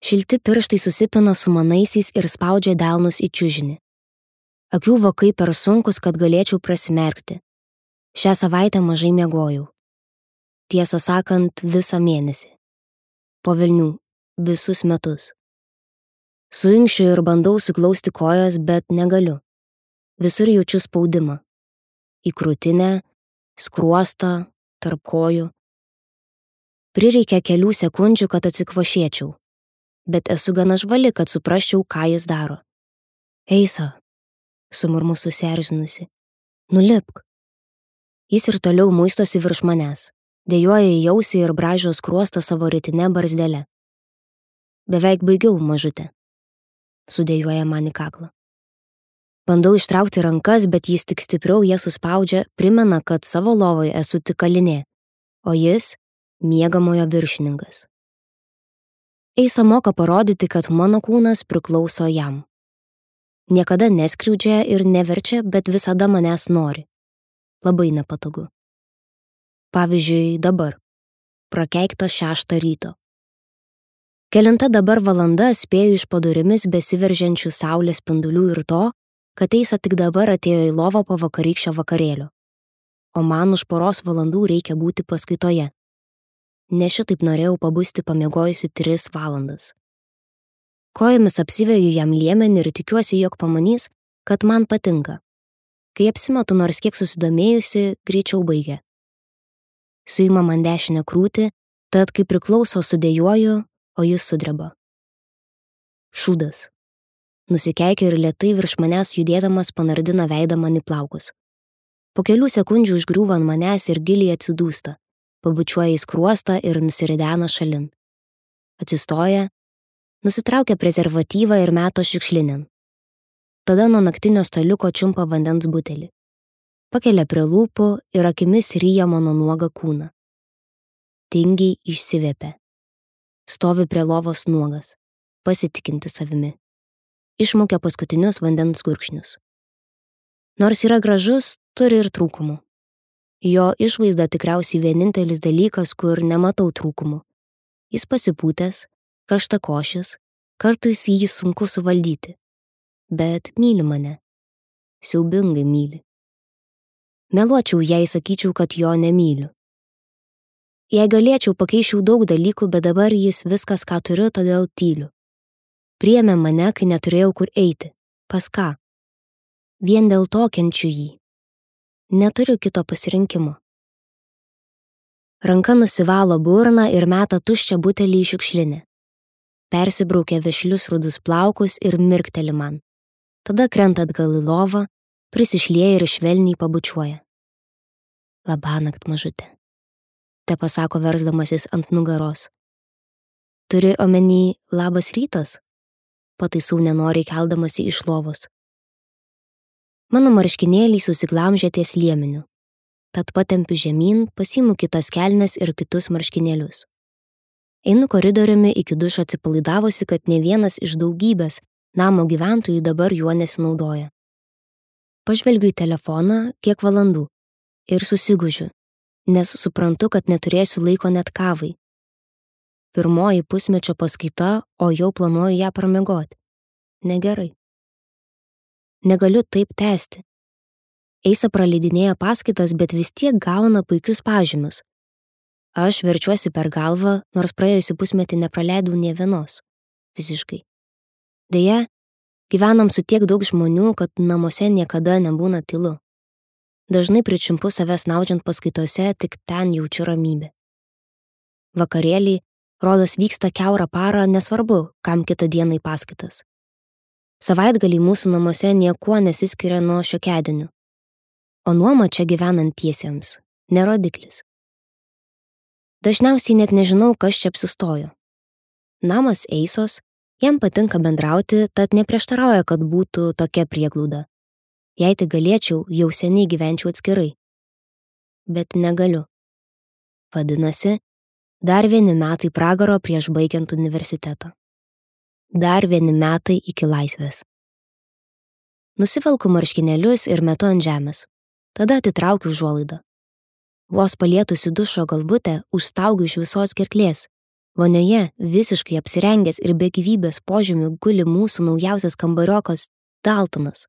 Šilti pirštai susipina su manaisiais ir spaudžia delnus į čiužinį. Akių vokai per sunkus, kad galėčiau prasimerkti. Šią savaitę mažai miegojau. Tiesą sakant, visą mėnesį. Po velnių, visus metus. Suinkščiu ir bandau suglausti kojas, bet negaliu. Visur jaučiu spaudimą. Į krūtinę, skruostą, tarp kojų. Prireikia kelių sekundžių, kad atsikvošėčiau. Bet esu gana žvali, kad suprasčiau, ką jis daro. Eisa, sumurmu susierzinusi. Nulipk. Jis ir toliau muistosi virš manęs. Dejuoja į ausį ir braižo skruostą savo rytinę barzdelę. Beveik baigiau, mažutė. Sudėjuoja man į kaklą. Bandau ištraukti rankas, bet jis tik stipriau jas suspaudžia, primena, kad savo lovoje esu tik kalinė, o jis miegamojo viršininkas. Eisa moka parodyti, kad mano kūnas priklauso jam. Niekada neskriaudžia ir neverčia, bet visada manęs nori. Labai nepatogu. Pavyzdžiui, dabar. Prakeikta 6 ryto. Kelinta dabar valanda spėju iš po durimis besiveržiančių saulės spindulių ir to, kad Eisa tik dabar atėjo į lovą po vakarykščio vakarėlio. O man už poros valandų reikia būti paskaitoje. Ne šitaip norėjau pabusti pamiegojusi 3 valandas. Kojomis apsiveju jam liemenį ir tikiuosi, jog pamanys, kad man patinka. Kai apsimetu nors kiek susidomėjusi, greičiau baigia. Suima man dešinę krūtį, tad kai priklauso sudėjuoju, o jis sudreba. Šūdas. Nusikeikia ir lėtai virš manęs judėdamas panardina veidą man į plaukus. Po kelių sekundžių užgriūva ant manęs ir giliai atsidūsta, pabučiuoja į skruostą ir nusiridena šalin. Atsistoja, nusitraukia prezervatyvą ir meto šiukšlinin. Tada nuo naktinio staliuko čiumpa vandens butelį. Pakelia prie lūpų ir akimis ryja mano nuogą kūną. Tingiai išsivėpia. Stovi prie lovos nuogas, pasitikinti savimi. Išmaukia paskutinius vandens gurkšnius. Nors yra gražus, turi ir trūkumų. Jo išvaizda tikriausiai vienintelis dalykas, kur nematau trūkumų. Jis pasipūtęs, karštakošis, kartais jį sunku suvaldyti. Bet myli mane. Siaubingai myli. Meluočiau, jei sakyčiau, kad jo nemyliu. Jei galėčiau, pakeičiau daug dalykų, bet dabar jis viskas, ką turiu, todėl tyliu. Priėmė mane, kai neturėjau kur eiti. Pas ką? Vien dėl to kenčiu jį. Neturiu kito pasirinkimo. Ranka nusivalo burną ir meta tuščią butelį į šiukšlinę. Persibraukia vešlius rudus plaukus ir mirkteli man. Tada krenta atgal į lovą, prisišlieja ir švelniai pabučiuoja. Labanakt, mažutė. Te pasako versdamasis ant nugaros. Turi omeny labas rytas? Pataisau nenoriai keldamasi iš lovos. Mano marškinėliai susiglamžė ties liemeniu. Tad patempiu žemyn, pasiimu kitas kelnes ir kitus marškinėlius. Einu koridoriumi iki dušo atsipalaidavusi, kad ne vienas iš daugybės namo gyventojų dabar juo nesinaudoja. Pažvelgiu į telefoną kiek valandų ir susigužiu, nes suprantu, kad neturėsiu laiko net kavai. Pirmoji pusmečio paskaita, o jau planuoju ją pramiegoti. Negerai. Negaliu taip tęsti. Eisa praleidinėja paskaitas, bet vis tiek gauna puikius pažymius. Aš verčiuosi per galvą, nors praėjusių pusmetį nepraleidau nė vienos. Visiškai. Deja, gyvenam su tiek daug žmonių, kad namuose niekada nebūna tylu. Dažnai pričiumpu save snaudžiant paskaitose, tik ten jaučiu ramybę. Vakarėliai, rodos, vyksta kiaurą parą, nesvarbu, kam kitą dieną į paskaitas. Savaitgaliai mūsų namuose niekuo nesiskiria nuo šiokiadienių. O nuoma čia gyvenantiesiems nerodiklis. Dažniausiai net nežinau, kas čia apsistojo. Namas Eisos, jam patinka bendrauti, tad neprieštarauja, kad būtų tokia prieglauda. Jei tik galėčiau, jau seniai gyvenčiau atskirai. Bet negaliu. Vadinasi, dar 1 metai pragaro prieš baigiant universitetą. Dar 1 metai iki laisvės. Nusivelku marškinėlius ir metu ant žemės. Tada atitraukiu užuolaidą. Vos palietusi dušo galvutę, užstaugiu iš visos gerklės. Vonioje, visiškai apsirengęs ir be gyvybės požymių, guli mūsų naujausias kambariokas Daltonas.